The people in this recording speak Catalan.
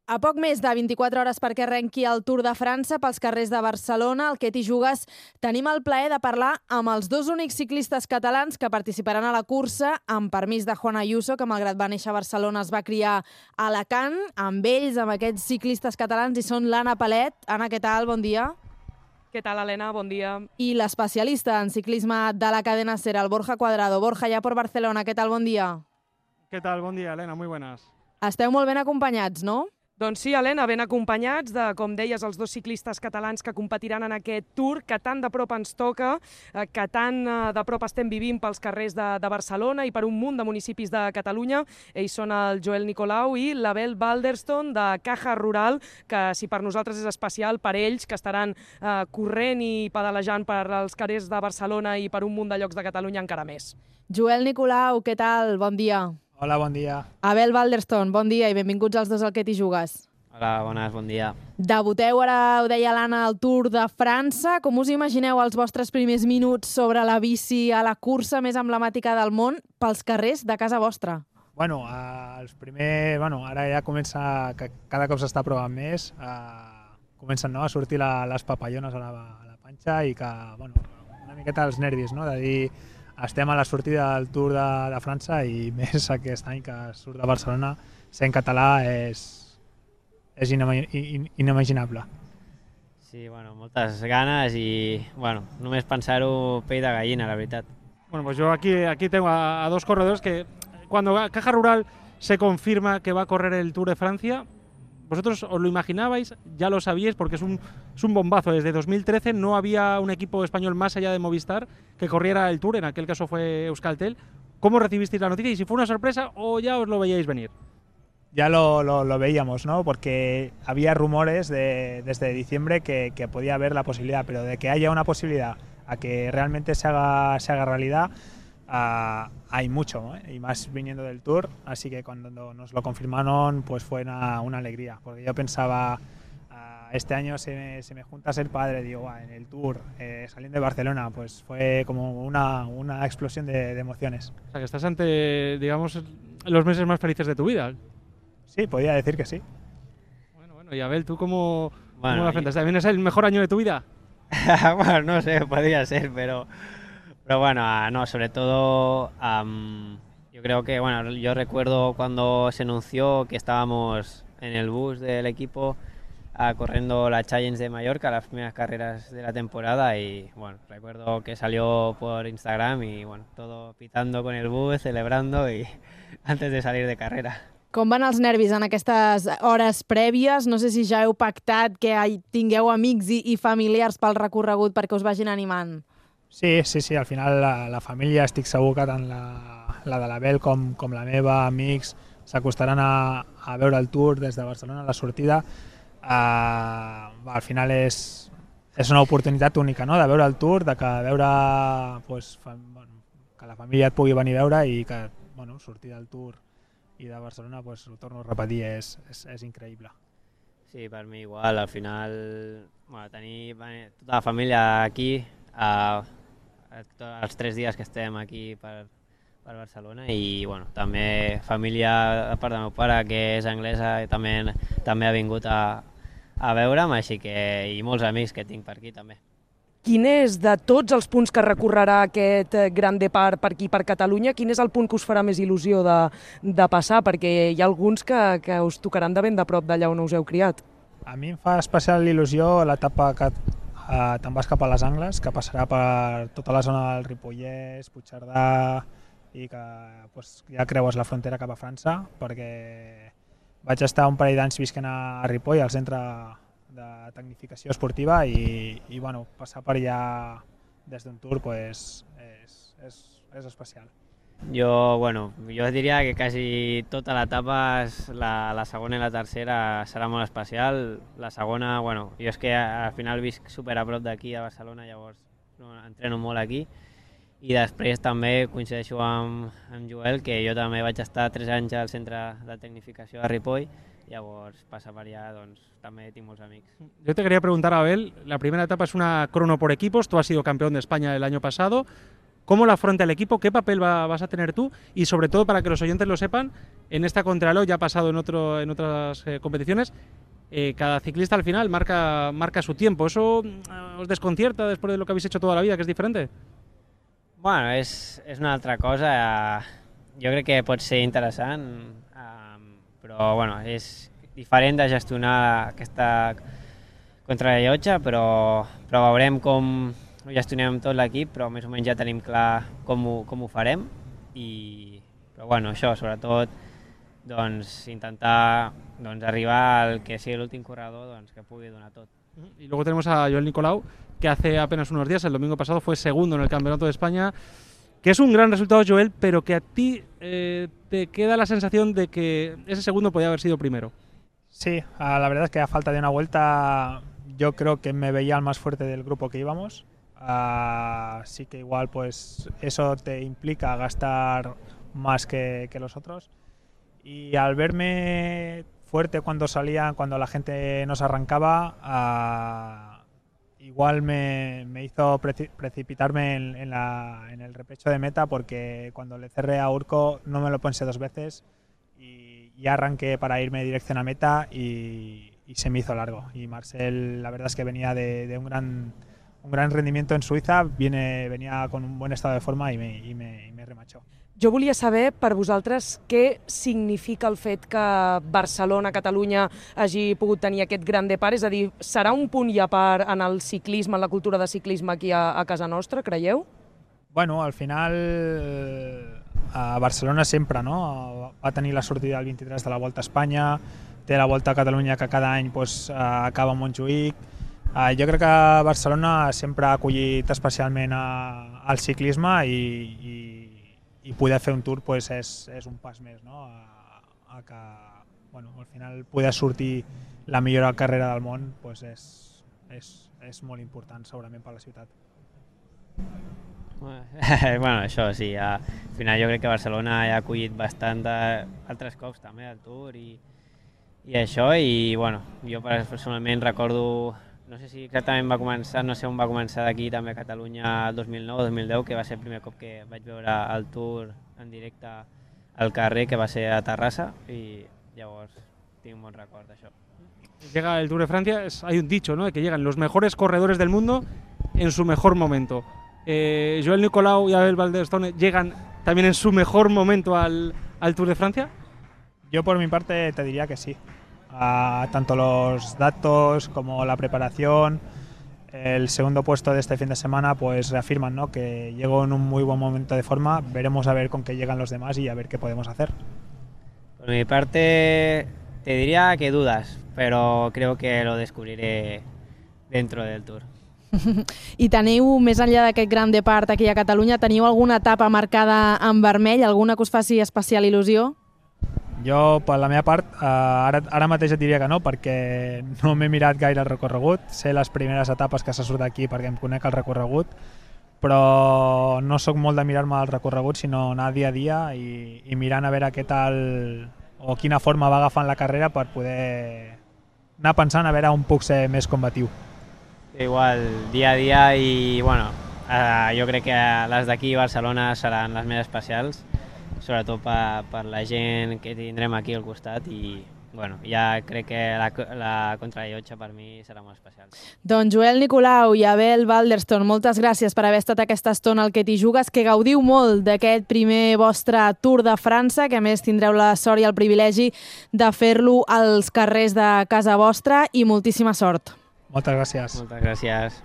A poc més de 24 hores perquè arrenqui el Tour de França pels carrers de Barcelona, al Que t'hi jugues, tenim el plaer de parlar amb els dos únics ciclistes catalans que participaran a la cursa, amb permís de Juan Ayuso, que malgrat va néixer a Barcelona es va criar a Alacant. Amb ells, amb aquests ciclistes catalans, hi són l'Anna Palet. Anna, què tal? Bon dia. Què tal, Helena? Bon dia. I l'especialista en ciclisme de la cadena SER, el Borja Cuadrado. Borja, ja per Barcelona, què tal? Bon dia. ¿Qué tal? Buen día, Elena. Muy buenas. Esteu molt ben acompanyats, no? Doncs sí, Helena, ben acompanyats de, com deies, els dos ciclistes catalans que competiran en aquest Tour, que tan de prop ens toca, que tan de prop estem vivint pels carrers de Barcelona i per un munt de municipis de Catalunya. Ells són el Joel Nicolau i l'Abel Balderston de Caja Rural, que si per nosaltres és especial, per ells, que estaran corrent i pedalejant per els carrers de Barcelona i per un munt de llocs de Catalunya encara més. Joel Nicolau, què tal? Bon dia. Hola, bon dia. Abel Balderston, bon dia i benvinguts els dos al Que t'hi jugues. Hola, bones, bon dia. Debuteu, ara ho deia l'Anna, al Tour de França. Com us imagineu els vostres primers minuts sobre la bici a la cursa més emblemàtica del món pels carrers de casa vostra? Bueno, ara ja comença, que cada cop s'està provant més, comencen a sortir les papallones a la panxa i que, una miqueta els nervis, no? De dir, estem a la sortida del Tour de França i més aquest any que surt de Barcelona, ser en català és inimaginable. Sí, moltes ganes i, només pensar-ho pell de gallina, la veritat. Bueno, pues yo aquí tengo a dos corredores que cuando Caja Rural se confirma que va a correr el Tour de Francia, vosotros os lo imaginabais, ya lo sabíais, porque es un bombazo. Desde 2013 no había un equipo español más allá de Movistar que corriera el Tour, en aquel caso fue Euskaltel. ¿Cómo recibisteis la noticia y si fue una sorpresa o ya os lo veíais venir? Ya lo veíamos, ¿no? Porque había rumores desde diciembre que podía haber la posibilidad, pero de que haya una posibilidad a que realmente se haga realidad, hay mucho, ¿no? Y más viniendo del Tour, así que cuando nos lo confirmaron pues fue una alegría, porque yo pensaba, este año se me junta ser padre, digo, en el Tour, saliendo de Barcelona, pues fue como una explosión de emociones. O sea, que estás ante, digamos, los meses más felices de tu vida. Sí, podría decir que sí. Bueno, y Abel, ¿tú cómo la afrontas? ¿También es el mejor año de tu vida? Bueno, no sé, podría ser, pero no, sobre todo yo creo que, yo recuerdo cuando se anunció que estábamos en el bus del equipo corriendo la Challenge de Mallorca, las primeras carreras de la temporada y, recuerdo que salió por Instagram y, todo pitando con el bus, celebrando y antes de salir de carrera. Com van els nervis en aquestes hores prèvies? No sé si ja heu pactat que tingueu amics i familiars pel recorregut perquè us vagin animant. Sí, al final la família, estic segur que tant la de l'Abel com la meva, amics, s'acostaran a veure el Tour des de Barcelona a la sortida. Al final és una oportunitat única, no?, de veure el Tour, de veure que la família et pugui venir a veure i que sortir del Tour i de Barcelona, ho torno a repetir, és increïble. Sí, per mi igual, al final tenir tota la família aquí els 3 dies que estem aquí per Barcelona i també família a part del meu pare que és anglesa i també ha vingut a veure'm, així que i molts amics que tinc per aquí també. Quin és, de tots els punts que recorrerà aquest Gran Depart per aquí, per Catalunya, quin és el punt que us farà més il·lusió de passar? Perquè hi ha alguns que us tocaran de ben de prop d'allà on us heu criat. A mi em fa especial il·lusió l'etapa que te'n vas cap a les Angles, que passarà per tota la zona del Ripollès, Puigcerdà i que ja creues la frontera cap a França, perquè vaig estar un parell d'anys visquent a Ripoll, al centre de tecnificació esportiva i passar per allà des d'un Tour és especial. Jo diria que quasi tota l'etapa, la segona i la tercera serà molt especial. La segona, jo és que al final visc super a prop d'aquí a Barcelona, llavors entreno molt aquí i després també coincideixo amb Joel, que jo també vaig estar 3 anys al centre de tecnificació de Ripoll, llavors passar per allà també tinc molts amics. Yo te quería preguntar, Abel, la primera etapa es una crono por equipos, tú has sido campeón de España el año pasado, ¿Cómo lo afronta el equipo? ¿Qué papel vas a tener tú? Y sobre todo, para que los oyentes lo sepan, en esta contrarreloj, ya ha pasado en otras competiciones, cada ciclista al final marca su tiempo. ¿Eso os desconcierta después de lo que habéis hecho toda la vida, que es diferente? Bueno, és una altra cosa. Jo crec que pot ser interessant, però bueno, és diferent de gestionar aquesta contrarellotge, però veurem com ho gestionem tot l'equip, però més o menys ja tenim clar com ho farem. Però bueno, això, sobretot, doncs, intentar arribar al que sigui l'últim corredor, doncs, que pugui donar tot. Y luego tenemos a Joel Nicolau, que hace apenas unos días, el domingo pasado, fue segundo en el Campeonato de España, que es un gran resultado, Joel, pero que a ti te queda la sensación de que ese segundo podía haber sido primero. Sí, la verdad es que a falta de una vuelta yo creo que me veía el más fuerte del grupo que íbamos. Así que igual pues eso te implica gastar más que los otros. Y al verme fuerte cuando la gente nos arrancaba, igual me hizo precipitarme en el repecho de meta, porque cuando le cerré a Urco no me lo pensé dos veces y arranqué para irme dirección a meta y se me hizo largo. Y Marcel, la verdad es que venía de un gran rendimiento en Suïssa, venía con un buen estado de forma y me remachó. Jo volia saber per vosaltres què significa el fet que Barcelona, Catalunya, hagi pogut tenir aquest gran depart, és a dir, serà un punt i a part en el ciclisme, en la cultura de ciclisme aquí a casa nostra, creieu? Bueno, al final a Barcelona sempre, no? Va tenir la sortida el 23 de la Volta a Espanya, té la Volta a Catalunya que cada any pues, acaba a Montjuïc. Jo crec que Barcelona sempre ha acollit especialment al ciclisme i poder fer un tour pues, és un pas més, no? a que bueno, al final poder sortir la millor carrera del món pues, és molt important segurament per la ciutat. Bueno, això sí, al final jo crec que Barcelona ja ha acollit bastant altres cops també el Tour i això, i bueno, jo personalment recordo, no sé si exactament va començar, no sé on va començar d'aquí també a Catalunya el 2009-2010, que va ser el primer cop que vaig veure el Tour en directe al carrer, que va ser a Terrassa, i llavors tinc un bon record d'això. Llega el Tour de Francia, hay un dicho, ¿no?, de que llegan los mejores corredores del mundo en su mejor momento. Joel Nicolau y Abel Valderstone llegan también en su mejor momento al Tour de Francia. Yo por mi parte te diría que sí. Tanto los datos como la preparación, el segundo puesto de este fin de semana pues reafirman, ¿no?, que llegó en un muy buen momento de forma. Veremos a ver con qué llegan los demás y a ver qué podemos hacer. Por mi parte te diría que dudas, pero creo que lo descubriré dentro del Tour. I teniu, més enllà d'aquest gran depart aquí a Catalunya, teniu alguna etapa marcada en vermell, alguna que us faci especial il·lusió? Jo, per la meva part, ara mateix et diria que no, perquè no m'he mirat gaire el recorregut. Sé les primeres etapes que se surt d'aquí perquè em conec el recorregut, però no sóc molt de mirar-me el recorregut, sinó anar dia a dia i mirant a veure què tal o quina forma va agafant la carrera per poder anar pensant a veure on puc ser més combatiu. Igual, dia a dia, i bueno, jo crec que les d'aquí a Barcelona seran les més especials, sobretot per la gent que tindrem aquí al costat, i bueno, ja crec que la contrarellotge per mi serà molt especial. Doncs Joel Nicolau i Abel Valderstone, moltes gràcies per haver estat aquesta estona al Que t'hi jugues, que gaudiu molt d'aquest primer vostre Tour de França, que a més tindreu la sort i el privilegi de fer-lo als carrers de casa vostra, i moltíssima sort. Moltes gràcies. Moltes gràcies.